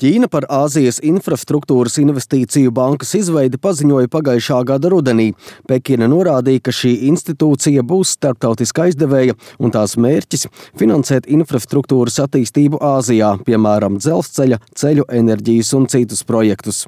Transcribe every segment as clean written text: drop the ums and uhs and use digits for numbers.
Ķīna par Āzijas infrastruktūras investīciju bankas izveidi paziņoja pagājušā gada rudenī. Pekina norādīja, ka šī institūcija būs starptautiska aizdevēja un tās mērķis – finansēt infrastruktūras attīstību Āzijā, piemēram, dzelzceļa, ceļu, enerģijas un citus projektus.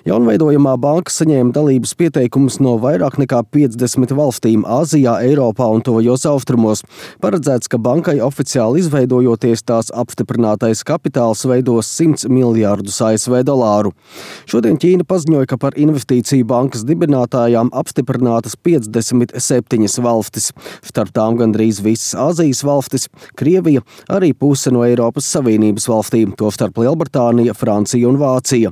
Jaunveidojamā banka saņēma dalības pieteikumus no vairāk nekā 50 valstīm Āzijā, Eiropā un tuvajos austrumos. Paredzēts, ka bankai oficiāli izveidojoties tās apstiprinātais kapitāls veidos 100 miljārdus ASV dolāru. Šodien Ķīna paziņoja, ka par investīciju bankas dibinātājām apstiprinātas 57 valstis. Starp tām gandrīz visas Āzijas valstis, Krievija, arī puse no Eiropas Savienības valstīm, tostarp Lielbritānija, Francija un Vācija.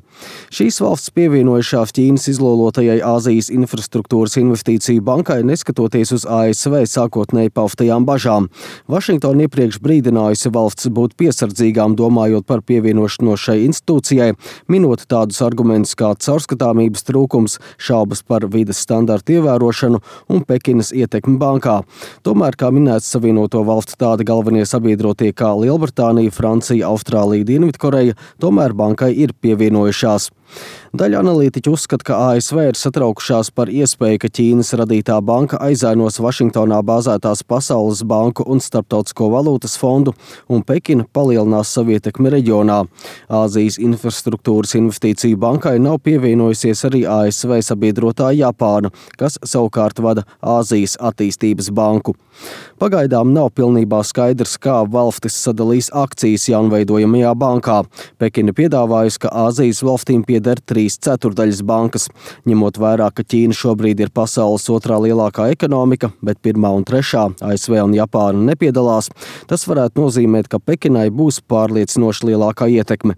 Šīs valstis pievienojušās Ķīnas izlolotajai Āzijas infrastruktūras investīciju bankai, neskatoties uz ASV sākotnēji paustajām bažām. Vašingtona iepriekš brīdinājusi valsts būt piesardzīgām, domājot par pievienošanos šai institūcijai, minot tādus argumentus kā caurskatāmības trūkums, šaubas par vides standartu ievērošanu un Pekinas ietekmi bankā. Tomēr, kā minēts, Savienoto valstu tādi galvenie sabiedrotie kā Lielbritānija, Francija, Austrālija, Dienvidkoreja, tomēr bankai ir pievienojušās. Daļa analītiķu uzskata, ka ASV ir satraukušās par iespēju, ka Ķīnas radītā banka aizainos Vašingtonā bāzētās Pasaules banku un Starptautisko valūtas fondu, un Pekina palielinās savu ietekmi reģionā. Āzijas infrastruktūras investīciju bankai nav pievienojusies arī ASV sabiedrotā Japāna, kas savukārt vada Āzijas attīstības banku. Pagaidām nav pilnībā skaidrs, kā valstis sadalīs akcijas jaunveidojamajā bankā. Pekina piedāvājusi, ka Āzijas valstīm pieder 3/4 bankas. Ņemot vērā, ka Ķīna šobrīd ir pasaules otrā lielākā ekonomika, bet pirmā un trešā ASV un Japāna nepiedalās, tas varētu nozīmēt, ka Pekinai būs pārliecinoši lielākā ietekme.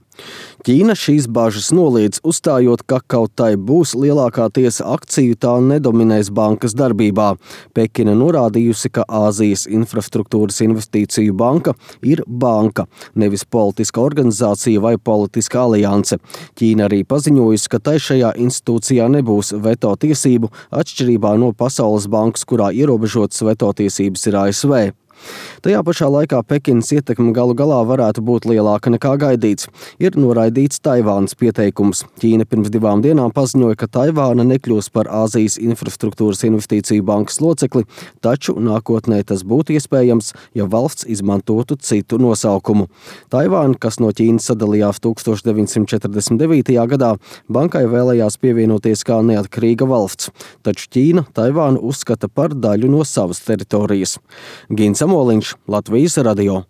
Ķīna šīs bažas noliedz, uzstājot, ka kaut tai būs lielākā tiesa akciju, tā nedominēs bankas darbībā. Pekina norādījusi, ka Āzijas infrastruktūras investīciju banka ir banka, nevis politiska organizācija vai politiska alianse. Ķīna arī paziņojusi, ka tai šajā institūcijā nebūs veto tiesību, atšķirībā no Pasaules bankas, kurā ierobežotas veto tiesības ir ASV. Tajā pašā laikā Pekinas ietekme galu galā varētu būt lielāka nekā gaidīts. Ir noraidīts Taivānas pieteikums. Ķīna pirms 2 dienām paziņoja, ka Taivāna nekļūs par Āzijas infrastruktūras investīciju bankas locekli, taču nākotnē tas būtu iespējams, ja valsts izmantotu citu nosaukumu. Taivāna, kas no Ķīnas sadalījās 1949. gadā, bankai vēlējās pievienoties kā neatkarīga valsts, taču Ķīna Taivānu uzskata par daļu no savas teritorijas. Gins Samoliņš, Latvijas radio.